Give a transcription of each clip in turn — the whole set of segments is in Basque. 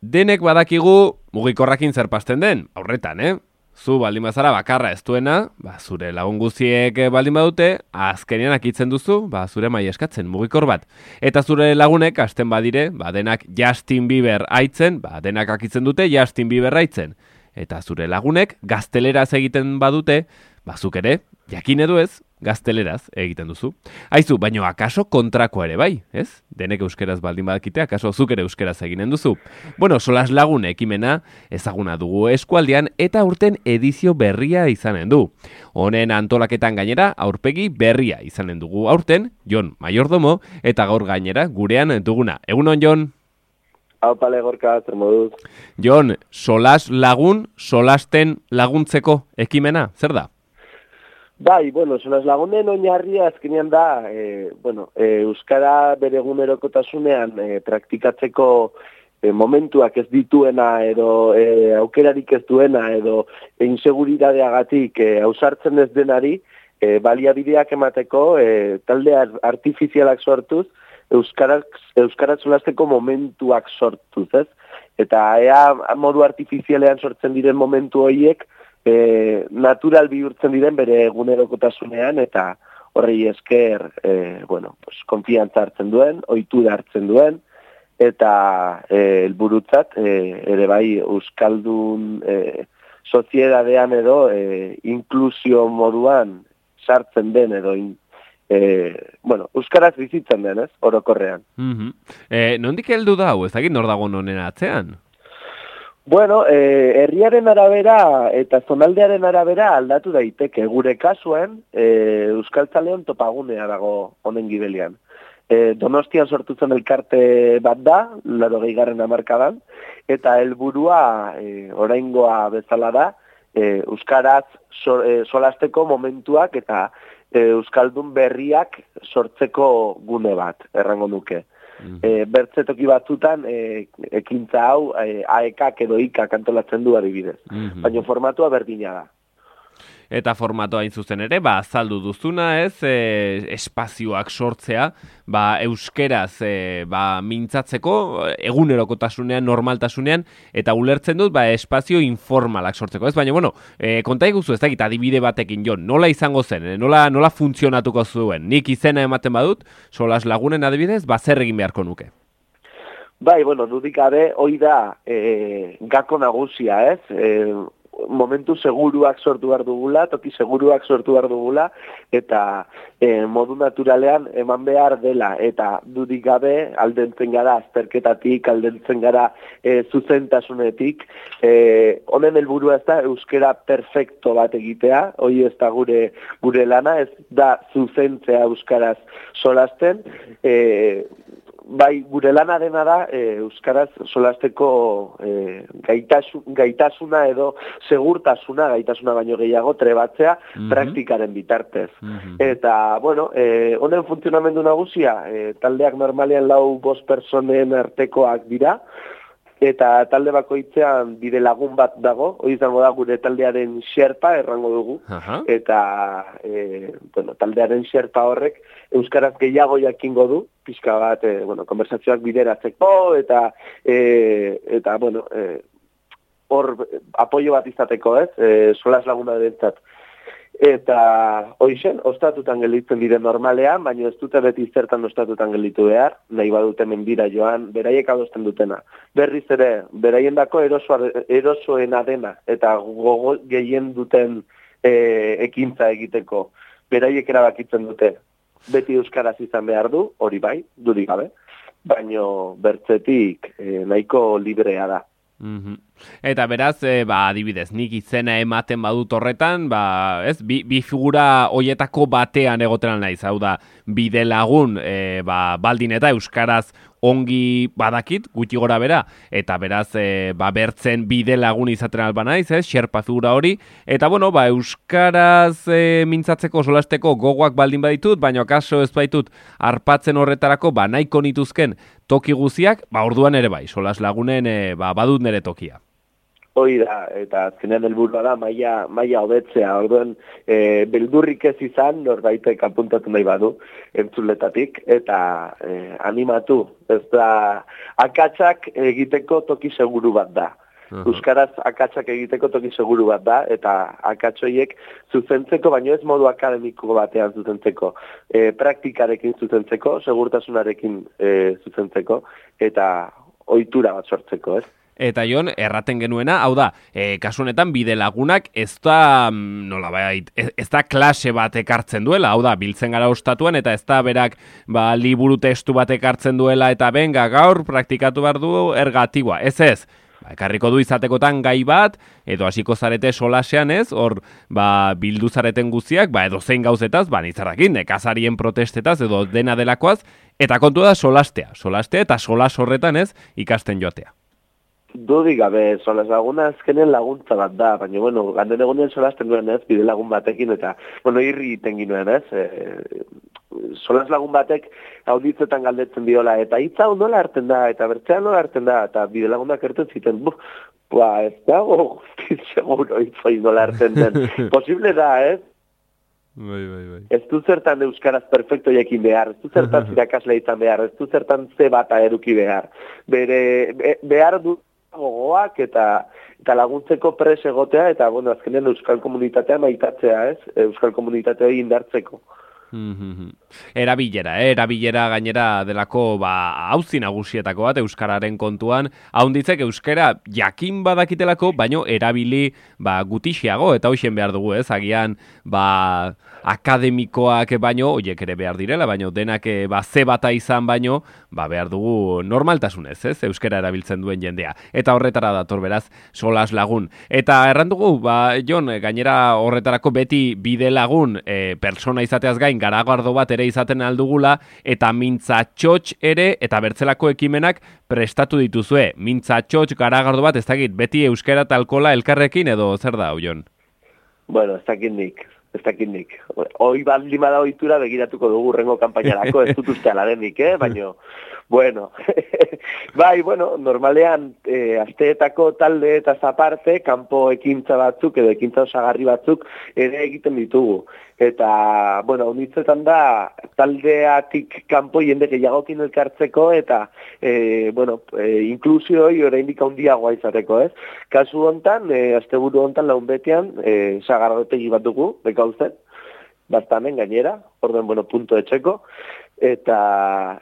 Denek badakigu mugikorrakin zer pasten den, aurretan, Zu baldin bazara bakarra ez duena, zure lagun guztiek baldin badute, azkenean akitzen duzu, zure mai eskatzen mugikor bat. Eta zure lagunek hasten badire, denak Justin Bieber aitzen, denak akitzen dute Justin Bieber aitzen. Eta zure lagunek gazteleraz egiten badute, zuk ere, jakin edo ez, gazteleraz egiten duzu. Aizu, baino akaso kontrakoa ere bai, ez? Denek euskeraz baldin badakite, akaso zuk ere euskeraz eginen duzu. Bueno, Solas Lagun ekimena ezaguna dugu eskualdean eta aurten edizio berria izanen du. Honen antolaketan gainera aurpegi berria izanen dugu aurten, Jon Mayordomo, eta gaur gainera gurean duguna. Egunon, Jon? Aupale Gorka, zer moduz? Jon, Solas Lagun, solasten laguntzeko ekimena, zer da? Bai, Solas Lagunen oinarria azkenean da, euskara bere egunerokotasunean praktikatzeko momentuak ez dituena edo aukerarik ez duena edo inseguridadeagatik ausartzen ez denari baliabideak emateko talde artifizialak sortuz euskaraz solasteko momentuak sortuz, ez? Eta ea modu artifizialean sortzen diren momentu horiek natural bihurtzen diren bere egunerokotasunean eta horrei esker konfiantza hartzen duen, ohitura hartzen duen eta helburutzat ere bai euskaldun soziedadean edo inklusio moduan sartzen den edo euskaraz bizitzen den, ez? Orokorrean. Nondik heldu da hau, ez dakit nor dago honen atzean? Herriaren arabera eta zonaldearen arabera aldatu daiteke. Gure kasuen, Euskaltzaleon topagunea dago honen gibelian. Donostian sortu zen elkarte bat da, 80. hamarkadan, eta helburua oraingoa bezala da, euskaraz solasteko momentuak eta euskaldun berriak sortzeko gune bat, errango nuke. Bertzetoki batzutan ekintza hau AEKak edo IKak antolatzen du adibidez. Baina formatua berdina da. Eta formatua hain zuzen ere, azaldu duzuna, ez, espazioak sortzea, euskeraz mintzatzeko, egunerokotasunean, normaltasunean, eta ulertzen dut, espazio informalak sortzeko, ez? Baina, konta iguzu, ez dakit, adibide batekin, Jon, nola izango zen, nola funtzionatuko zuen? Nik izena ematen badut, Solas Lagunen adibidez, zer egin beharko nuke? Bai, dudik gabe, hoi da gako nagusia, ez? Momentu seguruak sortu behar dugula, toki seguruak sortu behar dugula, eta modu naturalean eman behar dela, eta dudik gabe aldentzen gara azterketatik, aldentzen gara zuzentasunetik, honen helburua ez da euskera perfecto bat egitea, hoi ez da gure lana, ez da zuzentzea euskaraz solasten, bai, gure lana dena da euskaraz solasteko gaitasuna edo segurtasuna, gaitasuna baino gehiago trebatzea praktikaren bitartez. Eta, honen funtzionamendu nagusia, taldeak normalean 4-5 personen artekoak dira, eta talde bakoitzean bide lagun bat dago, hori izango da gure taldearen xerpa, errango dugu, eta taldearen xerpa horrek euskaraz gehiago jakingo du, pixka bat, konversazioak bideratzeko, eta hor apoio bat izateko, ez, Solas Laguna dentzat. Eta hoixen, ostatutan gelditzen dire normalean, baina ez dute beti zertan ostatutan gelditu behar, nahi badute mendira joan, beraiek adosten dutena. Berriz ere, beraiendako erosoena dena, eta gogo gehien duten ekintza egiteko, beraiek erabakitzen dute. Beti euskaraz izan behar du, hori bai, dudik gabe, baina bertzetik nahiko librea da. Eta beraz, adibidez, nik izena ematen badut horretan, bi figura hoietako batean egoten naiz, hau da, bide lagun, baldin eta euskaraz ongi badakit, gutxi gora bera, eta beraz, bertzen bide lagun izaten alba naiz, xerpa figura hori, eta euskaraz mintzatzeko, solasteko gogoak baldin baditut, baina kaso ez baitut arpatzen horretarako, nahiko nituzken toki guziak, orduan ere bai, Solas Lagunen badut nere tokia. Hoi da, eta azkenean helburua da maila hobetzea, orduen beldurrik ez izan, norbaitek apuntatu nahi badu, entzuletatik, eta animatu, ez da, akatsak egiteko toki seguru bat da. Euskaraz akatsak egiteko toki seguru bat da, eta akatsoiek zuzentzeko, baino ez modu akademiko batean zuzentzeko, praktikarekin zuzentzeko, segurtasunarekin zuzentzeko, eta ohitura bat sortzeko, ez? Eta Jon, erraten genuena, hau da, kasu honetan bide lagunak ez da, nolabait, ez da klase bat ekartzen duela, hau da, biltzen gara ostatuan, eta ez da berak liburu testu bat ekartzen duela, eta benga gaur praktikatu behar du ergatiboa, ez. Ekarriko du izatekotan gai bat, edo hasiko zarete solasean ez, hor bildu zareten guztiak, edo zein gauzetaz, nizarrakin, nekazarien protestetaz, edo dena delakoaz, eta kontu da solastea eta solas horretan ez, ikasten joatea. Dudik gabe, solas laguna azkenen laguntza bat da, baina, bueno, ganden egunen solasten duen ez, bide lagun batekin, eta, bueno, irri iten ginuen ez, solas lagun batek auditzetan galdetzen diola, eta hitza nola hartzen da, eta bertzean nola hartzen da, eta bide lagunak erten ziten, ez dago, seguro hitzoi nola hartzen den, posible da, ez? Bai. Ez du zertan euskaraz perfecto jakin behar, ez du zertan zirakasle izan behar, ez du zertan ze bata eruki behar, behar du gogoak eta laguntzeko pres egotea, eta, bueno, azkenean euskal komunitatea maitatzea, ez? Euskal komunitatea indartzeko. Erabilera gainera delako auzi nagusietako bat euskararen kontuan, haunditzek euskara jakin badakitelako, baino erabili gutixiago, eta hoxen behar dugu, ez? Agian akademikoak baino, oiek ere behar direla, baino denak ze bata izan baino, behar dugu normaltasunez, ez? Euskara erabiltzen duen jendea. Eta horretara dator beraz, solas lagun. Eta errandugu, Jon, gainera horretarako beti bide lagun persona izateaz gain, garagardo bat ere izaten aldugula, eta mintzatxotx ere, eta bertzelako ekimenak prestatu dituzue. Mintzatxotx garagardo bat, ez dakit, beti euskara eta alkola elkarrekin edo zer da, Jon? Bueno, ez dakit nik. Hoi baldima da ohitura begiratuko dugu rengo kanpainarako, ez dut uste alarenik, baina, bueno, normalean, asteetako talde eta zaparte, kanpo ekintza batzuk edo ekintza osagarri batzuk ere egiten ditugu. Eta, bueno, honitzetan da, taldeatik kanpo jende gehiagokin elkartzeko eta, inklusioi oraindik handiagoa izateko, ez? Kasu hontan, asteburu hontan laun betean, sagarrotegi bat dugu, bekauzen, bastamen gainera, orden, punto etxeko, eta,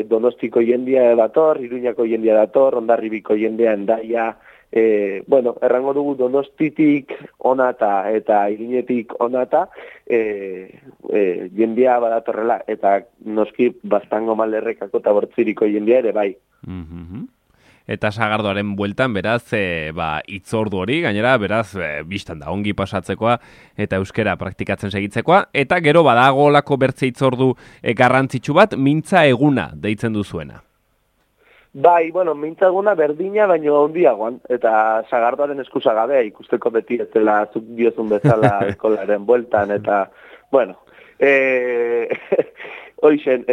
Donostiko jendia dator, Iruñako jendia dator, Hondarribiko jendea Hendaia, errango dugu Donostitik onata eta Iruñetik onata jendia badatorrela, eta noski Baztango Malderrekako eta Bortziriko jendia ere bai. Eta sagardoaren bueltan, beraz, itzordu hori, gainera, beraz, biztan da, ongi pasatzekoa, eta euskera praktikatzen segitzekoa, eta gero badago olako bertze itzordu garrantzitsu bat, mintza eguna deitzen duzuena. Bai, mintza eguna berdina, baino handiagoan, eta sagardoaren eskuzagabe, ikusteko beti ez dela zuk diozun bezala eskolaren bueltan, eta, hoixen,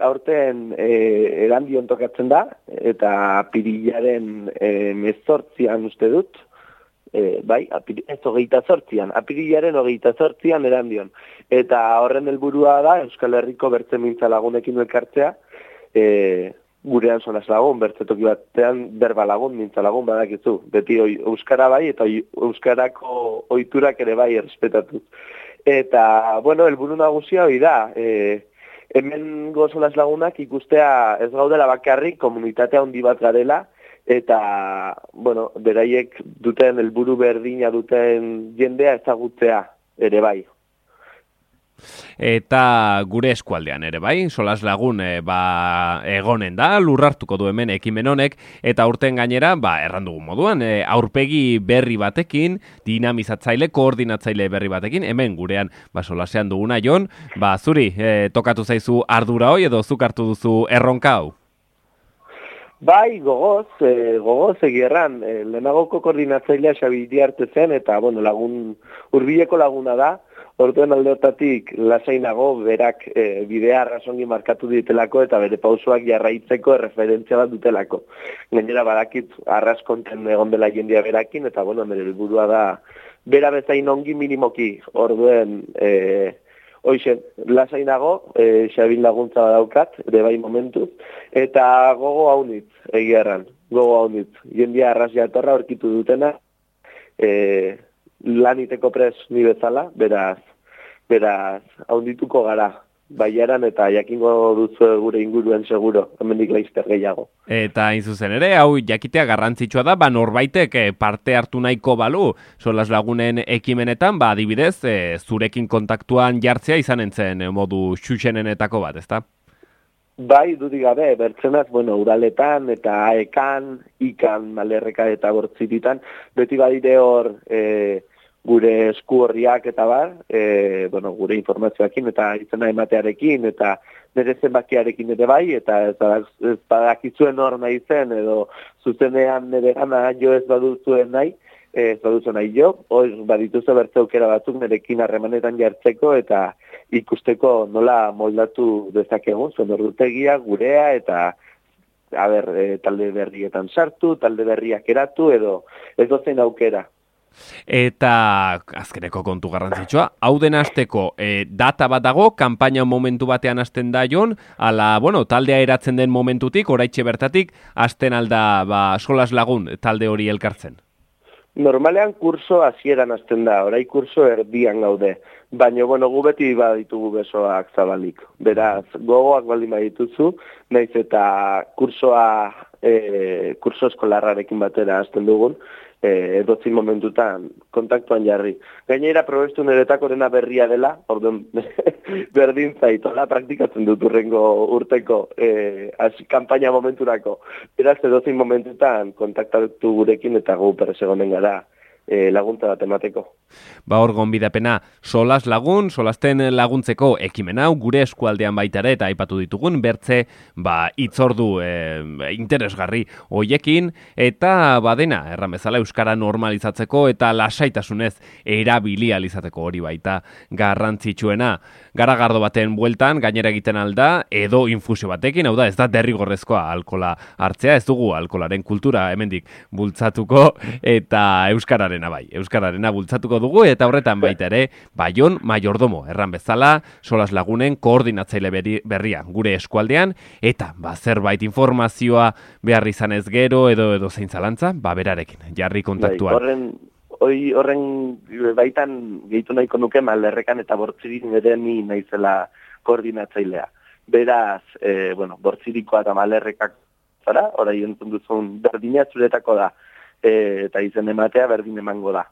aurten Erandion tokatzen da, eta apirilaren 18an uste dut, apirilaren 28an Erandion. Eta horren helburua da, Euskal Herriko bertze mintza lagunekin elkartzea, gurean solas lagun, bertzetoki batean berba lagun, mintza lagun badakizu. Beti euskara bai, eta euskarako ohiturak ere bai errespetatu. Eta, helburu nagusia hori da, hemen gozolas lagunak ikustea ez gaudela bakarrik komunitatea handi bat garela, eta, beraiek duten helburu berdina duten jendea ezagutzea ere bai. Eta gure eskualdean ere bai, solas lagun egonen da, lurrartuko du hemen ekimen honek, eta urten gainera, errandugun moduan, aurpegi berri batekin, dinamizatzaile, koordinatzaile berri batekin, hemen gurean solasean duguna, Jon, zuri, tokatu zaizu ardura hoi edo zuk hartu duzu erronka hau? Bai, gogoz egierran, lehenagoko koordinatzailea Xabi Iriarte zen, eta lagun, hurbileko laguna da, Orduen aldeotatik lasainago berak bidea arrasongi markatu ditelako eta bere pausoak jarraitzeko erreferentzia bat dutelako. Gainera badakit arras konten egon dela jendia berakin eta bueno, nire helburua da bera bezain ongi minimoki. Orduen hoixen, lasainago, Xabin laguntza badaukat, ere bai momentuz, eta gogo haunitz, egia erran, gogo haunitz. Jendia arras jatorra aurkitu dutena, laniteko pres ni bezala, beraz, haundituko gara, baiaran eta jakingo duzu gure inguruen seguro, hemendik laizter gehiago. Eta hain zuzen ere, hau jakitea garrantzitsua da, norbaitek parte hartu nahiko balu, Solas Lagunen ekimenetan, adibidez, zurekin kontaktuan jartzea izan entzen modu xuxenenetako bat, ezta? Bai, dudik gabe, bertzenaz, uraletan eta aekan, ikan, malerreka eta bortzititan, beti badide hor gure esku horriak eta bar, gure informazioakin eta izena ematearekin eta nire zenbakiarekin ere bai, eta ez badakizuen hor nahi zen, edo zuzenean nire gana jo ez baduzuen nahi, ez baduzuen nahi jo, hor badituzu bertze aukera batzuk nirekin harremanetan jartzeko eta ikusteko nola moldatu dezakegun, zuen ordutegia, gurea eta talde berrietan sartu, talde berriak eratu, edo ez dozen aukera. Eta azkeneko kontu garrantzitsua, hau den hasteko data bat dago, kanpaina momentu batean hasten da jon, ala, taldea eratzen den momentutik, oraitxe bertatik, hasten alda Solas Lagun talde hori elkartzen. Normalean kurso hasieran hasten da, orai kurso erdian gaude, baina gu beti baditugu besoak zabalik. Beraz, gogoak baldin badituzu, naiz eta kurso eskolarrarekin batera hasten dugun, edotzin momentutan kontaktuan jarri. Gainera probestu niretako dena berria dela, orduan berdin zaitola, praktikatzen dut urrengo urteko kanpaina momenturako. Beraz, edotzin momentutan kontaktatu gurekin eta gu persegonen gara laguntza bat emateko. Hor gonbidapena, Solas Lagun, solasten laguntzeko ekimen hau, gure eskualdean baita ere, eta aipatu ditugun, bertze, hitzordu interesgarri hoiekin, eta badena, erran bezala, euskara normalizatzeko, eta lasaitasunez erabilializateko hori baita garrantzitsuena. Garagardo baten bueltan, gainera egiten alda, edo infusio batekin, hau da, ez da derrigorrezkoa alkola hartzea, ez dugu alkolaren kultura hemendik bultzatuko, eta euskararena bultzatuko dugu, eta horretan baita ere, Baion Maiordomo, erran bezala, Solas Lagunen koordinatzaile berria gure eskualdean, eta zerbait informazioa behar izanez gero, edo zein zalantza, berarekin, jarri kontaktuan. Horren baitan gehitu nahiko nuke malerrekan eta bortzirik ere ni naizela koordinatzailea. Beraz, bortzirikoa eta malerrekak zara, orai entzun duzun berdina zuretako da, eta izen ematea berdin emango da.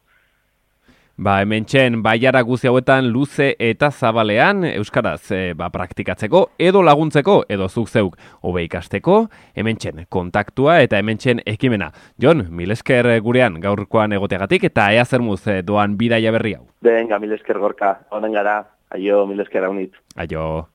Hementxen, baiara guzi hauetan luze eta zabalean, euskaraz praktikatzeko, edo laguntzeko, edo zuk zeuk hobe ikasteko, hementxen kontaktua eta hementxen ekimena. Jon, mil esker gurean gaurkoan egoteagatik, eta ea zermuz doan bidaia berri hau. Venga, mil esker Gorka, honen gara, aio, mil esker haunit. Aio.